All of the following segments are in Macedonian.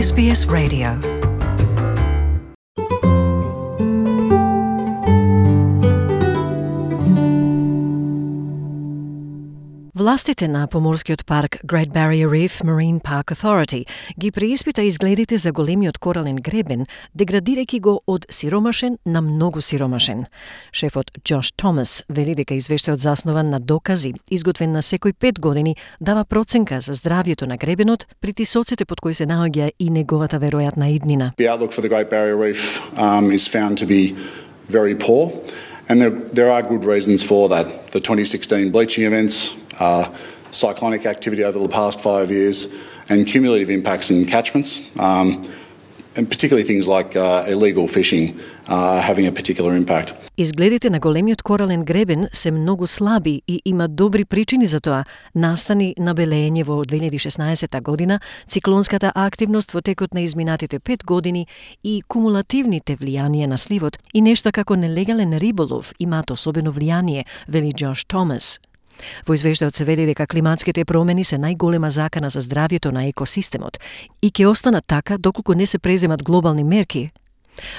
SBS Radio. Властите на поморскиот парк Great Barrier Reef Marine Park Authority ги преиспита изгледите за големиот корален гребен, деградирајќи го од сиромашен на многу сиромашен. Шефот Джош Томас вели дека извештајот заснуван на докази, изготвен на секој 5 години, дава проценка за здравјето на гребенот, притисоците под кои се наоѓа и неговата веројатна иднина. The outlook for the Great Barrier Reef is found to be very poor, and there are good reasons for that. The 2016 bleaching events, cyclonic activity over the past 5 years, and cumulative impacts in catchments, and particularly things like illegal fishing having a particular impact. Изгледите на големиот корален гребен се многу слаби и има добри причини за тоа. Настани набелење во 2016 година, циклонската активност во текот на изминатите 5 години и кумулативните влијанија на сливот и нешто како нелегален риболов имаат особено влијание, вели Джош Томас. Во извештајот се вели дека климатските промени се најголема закана за здравјето на екосистемот и ќе останат така доколку не се преземат глобални мерки.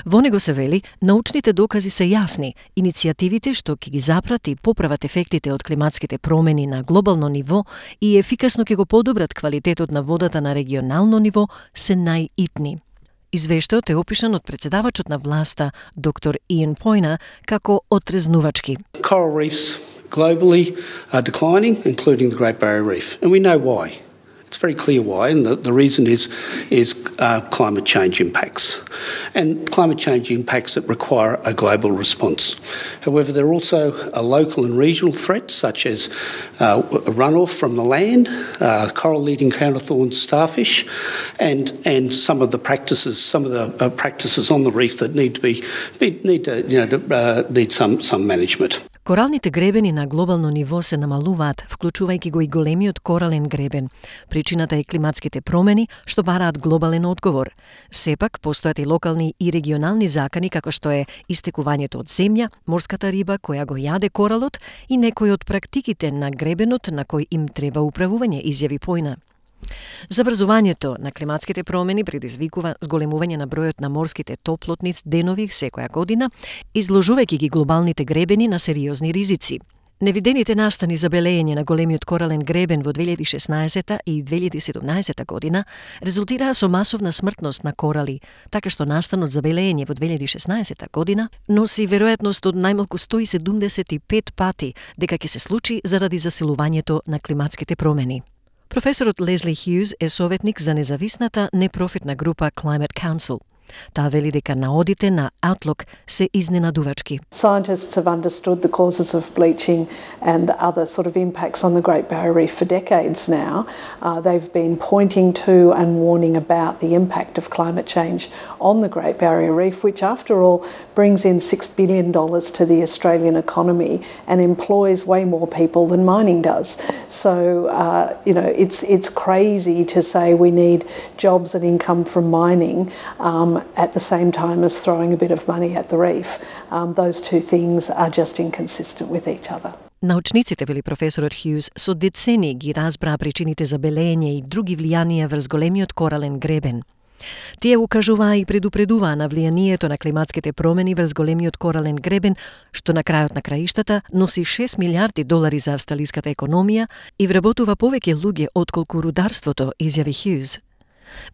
Во него се вели, научните докази се јасни, иницијативите што ќе ги запрат и поправат ефектите од климатските промени на глобално ниво и ефикасно ќе го подобрат квалитетот на водата на регионално ниво се најитни. Извештајот е опишан од председавачот на власта, доктор Иан Пойна, како отрезнувачки. Coral reefs globally are declining, including the Great Barrier Reef, and we know why. It's very clear why, and the reason is climate change impacts, and climate change impacts that require a global response. However, there are also a local and regional threats, such as runoff from the land, coral-eating crown of thorns starfish, and some of the practices on the reef that need some management. Коралните гребени на глобално ниво се намалуваат, вклучувајќи го и големиот корален гребен. Причината е климатските промени, што бараат глобален одговор. Сепак, постојат и локални и регионални закани, како што е истекувањето од земја, морската риба која го јаде коралот и некои од практиките на гребенот на кој им треба управување, изјави Пойна. Забрзувањето на климатските промени предизвикува зголемување на бројот на морските топлотниц денови секоја година, изложувајќи ги глобалните гребени на сериозни ризици. Невидените настани за белење на големиот корален гребен во 2016 и 2017 година резултираа со масовна смртност на корали, така што настанот за белење во 2016 година носи веројатност од најмалку 175 пати дека ќе се случи заради засилувањето на климатските промени. Професорот Лесли Хјуз е советник за независната непрофитна група Climate Council. Таа вели дека наодите на Outlook се изненадувачки. Scientists have understood the causes of bleaching and other sort of impacts on the Great Barrier Reef for decades now. They've been pointing to and warning about the impact of climate change on the Great Barrier Reef, which after all brings in $6 billion to the Australian economy and employs way more people than mining does. So, it's crazy to say we need jobs and income from mining at the same time as throwing a bit of money at the reef. Those two things are just inconsistent with each other. Научниците, вели професорот Хјуз, со децени ги разбраа причините за белење и други влијанија врз големиот корален гребен. Тие укажуваа и предупредуваа на влијанието на климатските промени врз големиот корален гребен, што на крајот на краиштата носи $6 милиарди за австралиската економија и вработува повеќе луѓе отколку рударството, изјави Хјуз.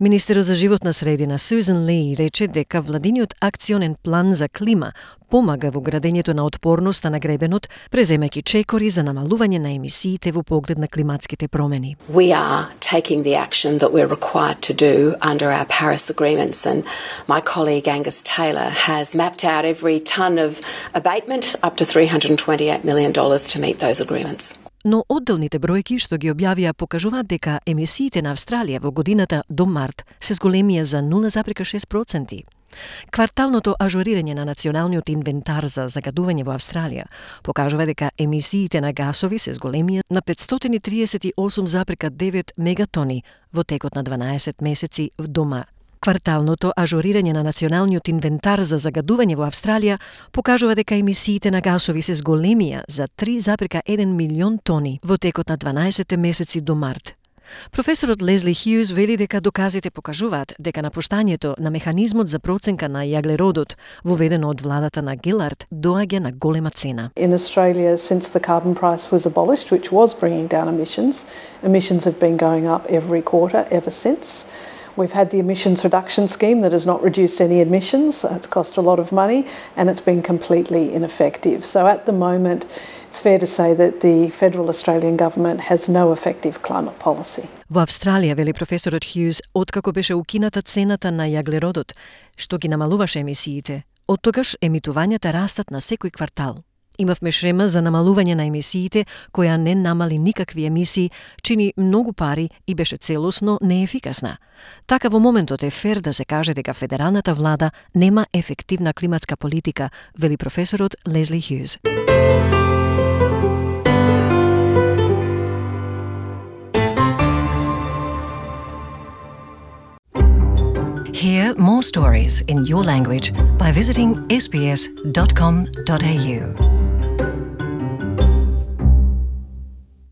Министерот за животна средина Сузан Ли рече дека владиниот акционен план за клима помага во градењето на отпорноста на гребенот, преземајќи чекори за намалување на емисиите во поглед на климатските промени. We are taking the action that we're required to do under our Paris agreements, and my colleague Angus Taylor has mapped out every ton of abatement up to $328 million to meet those agreements. Но одделните бројки што ги објавија покажуваат дека емисиите на Австралија во годината до март се зголемија за 0,6%. Кварталното ажурирање на националниот инвентар за загадување во Австралија покажува дека емисиите на гасови се зголемија на 538,9 мегатони во текот на 12 месеци в дома. Кварталното ажурирање на националниот инвентар за загадување во Австралија покажува дека емисиите на гасови се зголемија за 3,1 милион тони во текот на 12 месеци до март. Професорот Лезли Хјуз вели дека доказите покажуваат дека напуштањето на механизмот за проценка на јаглеродот, воведено од владата на Гилард, доаѓа на голема цена. In Australia, since the carbon price was abolished, which was bringing down emissions have been going up every quarter ever since. We've had the emissions reduction scheme that has not reduced any emissions. It's cost a lot of money and it's been completely ineffective. So at the moment, it's fair to say that the federal Australian government has no effective climate policy. Во Австралија, вели професорот Хјуз, откако беше укината цената на јаглеродот, што ги намалуваше емисиите, оттогаш емитувањата растат на секој квартал. Имавме шрема за намалување на емисиите, која не намали никакви емисии, чини многу пари и беше целосно неефикасна. Така во моментот е фер да се каже дека федералната влада нема ефективна климатска политика, вели професорот Лезли Хјуз. Hear more stories in your language by visiting sbs.com.au.